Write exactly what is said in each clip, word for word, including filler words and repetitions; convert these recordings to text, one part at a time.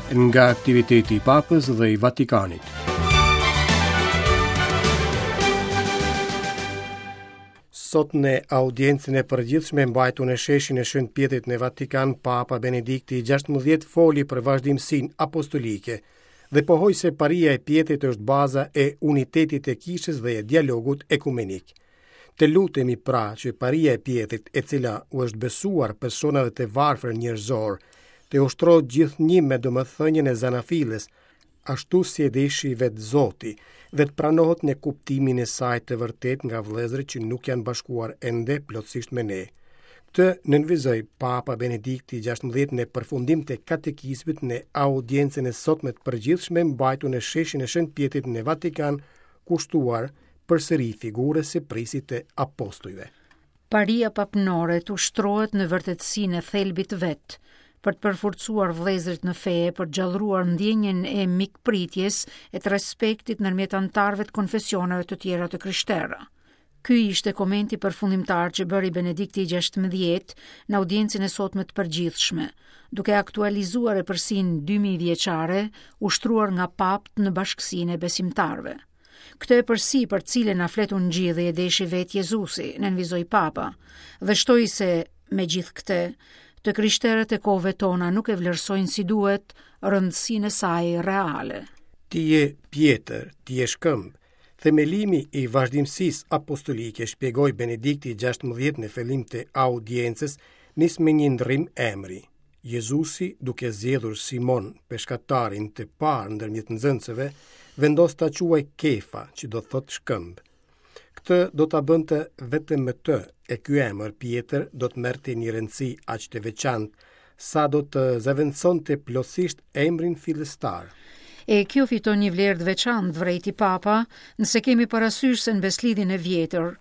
Nga aktiviteti i Papës dhe i Vatikanit. Sot në audiencën e përgjithshme mbajtur në sheshin e Shën Pjetrit në Vatikan, Papa Benedikti i gjashtëmbëdhjetë foli për vazhdimësinë apostolike dhe pohoi se paria e Pjetrit është baza e unitetit të kishës dhe e dialogut ekumenik. Të lutemi pra që paria e Pjetrit, e cila u është besuar personave të varfër njerëzor, të ushtrohet gjithnjë me domethënien e zanafillës, ashtu si e deshi vetë Zoti, dhe të pranohet në kuptimin e saj të vërtetë nga vëllezërit që nuk janë bashkuar ende plotësisht me ne. Këtë nënvizoi Papa Benedikti i gjashtëmbëdhjetë në përfundim të katekizmit në audiencën e sotme të përgjithshme mbajtur në sheshin e Shën Pjetrit në Vatikan, kushtuar përsëri figurës së prisit të apostujve. Paria papnore të ushtrohet në vërtetësinë e thelbit vet, për të përforcuar vëllezërit në fe, për të gjallëruar ndjenjën e mikpritjes e të respektit ndërmjet anëtarëve të konfesioneve të tjera të krishtera. Ky ishte komenti përfundimtar që bëri Benedikti i gjashtëmbëdhjetë në audiencën e sotme të përgjithshme, duke aktualizuar epërsinë dy mijë vjeçare ushtruar nga papt në bashkësinë e besimtarëve. Këtë epërsi për cilën na flet ungjilli e deshi vetë Jezusi, nënvizoi Papa, dhe shtoi se, me gjithë këtë, të krishterët e kohëve tona nuk e vlerësojnë si duhet rëndësinë e saj reale. Ti je Pjetër, ti je shkëmb. Themelimi i vazhdimësisë apostolike, shpjegoi Benedikti i gjashtëmbëdhjetë në fillim të audiencës, nis me një ndërrim emri. Jezusi, duke zgjedhur Simon, peshkatarin të parë ndërmjet nxënësve, vendos ta quaj Kefa, që do të thotë shkëmb. Këtë do ta bënte vetëm me të, e ky emër Pjetër do të merrte një rëndësi aq të veçantë, sa do të zëvendësonte plotësisht emrin fillestar. E kjo fiton një vlerë të veçantë, vrejti Papa, nëse kemi parasysh se në beslidhjen e vjetër,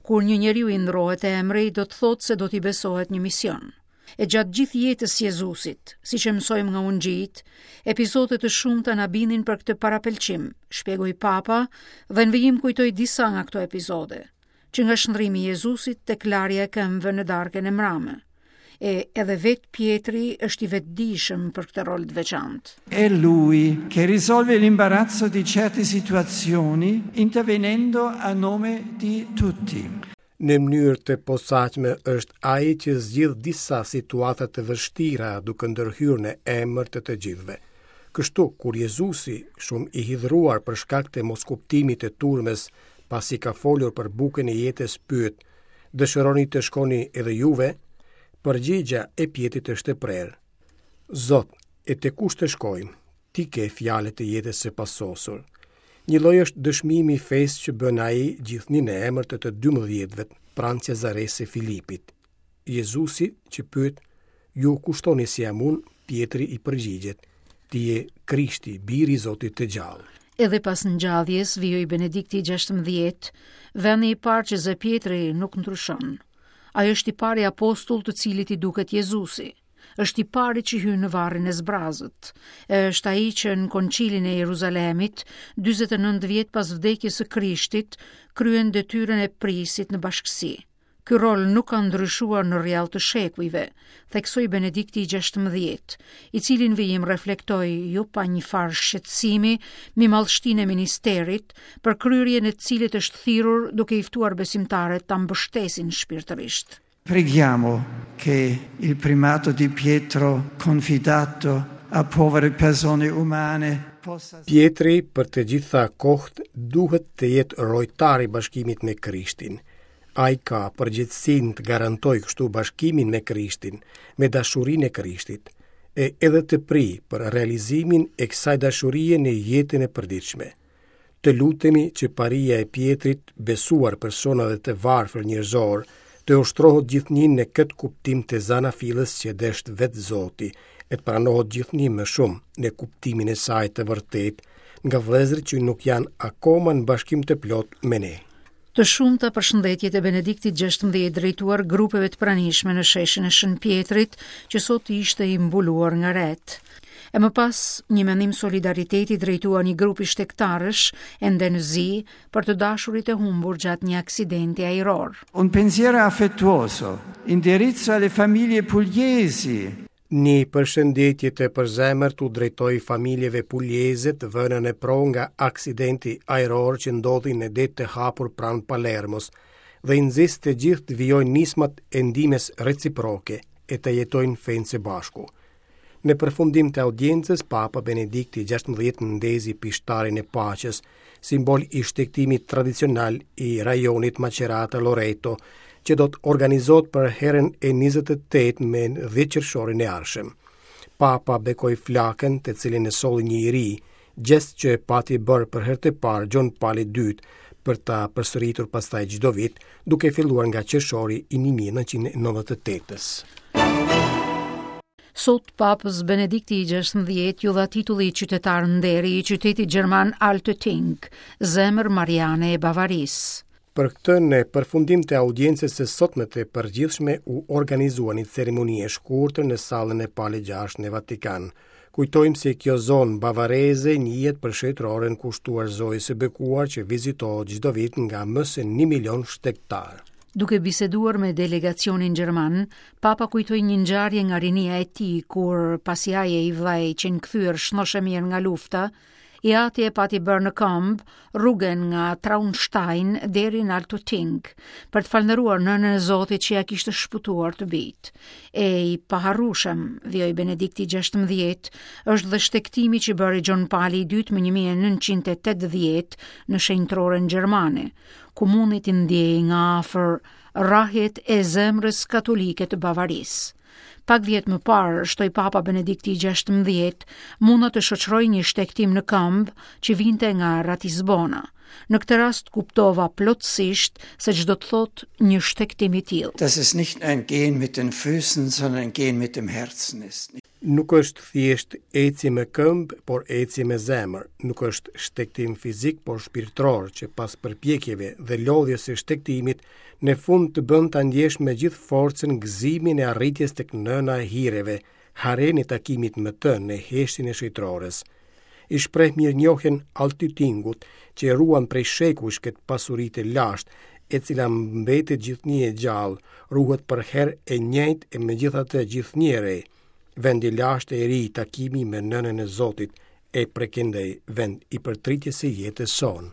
kur një njeriu i ndrohet emri, do të thotë se do t'i besohet një mision. E gjatë gjithë jetës Jezusit, siç e mësojmë nga ungjijt, episode të shumta na binin për këtë parapëlqim, shpjegoi Papa dhe në vijim kujtoi disa nga këto episode, që nga shndrimi i Jezusit tek larja e këmbëve në darkën e mbrame. E edhe vetë Pjetri është i vetëdijshëm për këtë rol të veçantë. È lui che risolve l'imbarazzo di certe situazioni intervenendo a nome di tutti. Në mënyrë të posaçme është ai që zgjidh disa situata të vështira duke ndërhyrë në emër të të gjithëve. Kështu, kur Jezusi, shumë i hidhruar për shkak të moskuptimit të turmës, pasi ka folur për bukën e jetës, pyet: Dëshironi të shkoni edhe juve? Përgjigja e Pjetrit është e prerë. Zot, e te kush të shkojmë? Ti ke fjalët e jetës së pasosur. Një lloj është dëshmimi i fesë që bën ai gjithnjë në emër të të dymbëdhjetëve pranë Cezaresë së Filipit. Jezusi që pyet, Ju kushtoni si jam unë? Pjetri i përgjigjet, Ti je Krishti, biri i Zotit të gjallë. Edhe pas ngjalljes, vijoi Benedikti i gjashtëmbëdhjetë, vendi i parë që zë Pjetri nuk ndryshon. Ai është i pari apostull të cilit i duket Jezusi. Është i pari që hyn në varrin e zbrazët. Është ai që në koncilin e Jeruzalemit, dyzet e nëntë vjet pas vdekjes së Krishtit, kryen detyrën e prisit në bashkësi. Ky rol nuk ka ndryshuar në rrjall të shekujve, theksoi Benedikti i gjashtëmbëdhjetë, i cili në vijim reflektoi jo pa një farë shqetësimi mbi madhështinë e ministerit, për kryerjen e cilit është thirrur duke i ftuar besimtarët ta mbështesin shpirtërisht. Preghiamo che il primato di Pietro confidato a povere persone umane possa Pietri për të gjitha kohët duhet të jetë rojtar i bashkimit me Krishtin. Ai ka përgjegjësinë të garantojë kështu bashkimin me Krishtin, me dashurinë e Krishtit, e edhe të prijë për realizimin e kësaj dashurie në jetën e përditshme. Të lutemi që paria e Pjetrit, besuar personave të varfër njerëzor, të ushtrohet gjithnjë në këtë kuptim të zanafillës që desht vetë Zoti, e të pranohet gjithnjë më shumë në kuptimin e saj të vërtetë nga vëllezërit që nuk janë akoma në bashkim të plot me ne. Të shumta përshëndetjet e Benediktit gjashtëmbëdhjetë drejtuar grupeve të pranishme në sheshin e Shën Pjetrit, që sot ishte i mbuluar nga ret. E më pas, një mendim solidariteti drejtuar një grupi shtegtarësh ende në zi për të dashurit e humbur gjatë një aksidenti ajror. Un pensiero affettuoso indirizzo alle famiglie pugliesi. Një përshëndetje të përzemërt u drejtoi familjeve puljeze të vënë në provë nga aksidenti ajror që ndodhi në det të hapur pranë Palermos dhe i nxis të gjithë të vijojnë nismat e ndihmës reciproke e të jetojnë fenë së bashku. Në përfundim të audiencës, Papa Benedikti gjashtëmbëdhjetë ndezi pishtarin e paqes, simbol i shtegtimit tradicional i rajonit Macerata Loreto, që do të organizohet për herën e njëzet e tetë me dhjetë qershorin e ardhshëm. Papa bekoi flakën, të cilën e solli një i ri, gjest që pati bërë për herë të parë Gjon Pali i dytë, për ta përsëritur pastaj çdo vit, duke filluar nga qershori i një mijë e nëntëqind e nëntëdhjetë e tetës. Sot Papës Benedikti i gjashtëmbëdhjetë ju dha titulli qytetar nderi i qytetit gjerman Altötting, zemër Mariane e Bavarisë. Për këtë, në përfundim të audiencës së sotme të përgjithshme u organizua një ceremoni e shkurtër në sallën e Palit gjashtë në Vatikan. Kujtojmë se kjo zonë bavareze njihet për shëtroren kushtuar Zojës së Bekuar që vizitohet çdo vit nga më se një milion shtegtar. Duke biseduar me delegacionin gjerman, Papa kujtoi një ngjarje nga rinia e tij kur, pasi ai e i vllai qenë kthyer shnoshë mirë nga lufta, i ati e pati bërë në këmbë rrugën nga Traunstein deri në Altötting për të falënderuar nënën e Zotit që ja kishte shpëtuar të bijt. E i paharrueshëm, vijoi Benedikti gjashtëmbëdhjetë, është dhe shtegtimi që bëri Gjon Pali i dytë më një mijë e nëntëqind e tetëdhjetë në shenjtroren gjermane, ku mundi t'i ndjejë nga afër rrahjet e zemrës katolike të Bavarisë. Pak vjet më parë, shtoi Papa Benedikti i gjashtëmbëdhjetë, munda të shoqëroj një shtegtim në këmbë që vinte nga Ratisbona. Në këtë rast kuptova plotësisht se ç'do të thotë një shtegtim i tillë. Dass es nicht ein Gehen mit den Füßen, sondern ein Gehen mit dem Herzen ist. Nuk është thjesht ecje me këmbë, por ecje me zemër. Nuk është shtegtim fizik, por shpirtëror, që pas përpjekjeve dhe lodhjes së shtegtimit, në fund të bën ta ndjesh me gjithë forcën gëzimin e arritjes tek nëna e hireve, harenë e takimit me të në heshtjen e shëtrores. I shpreh mirënjohjen Altöttingut, që e ruan prej shekujsh këtë pasuri të lashtë, e cila mbetet gjithnjë e gjallë, ruhet për herë e njëjtë e megjithatë gjithnjë e re. Vendi lashtë e ri takimi me nënën e Zotit e prekendej vend i përtritjes së jetës sonë.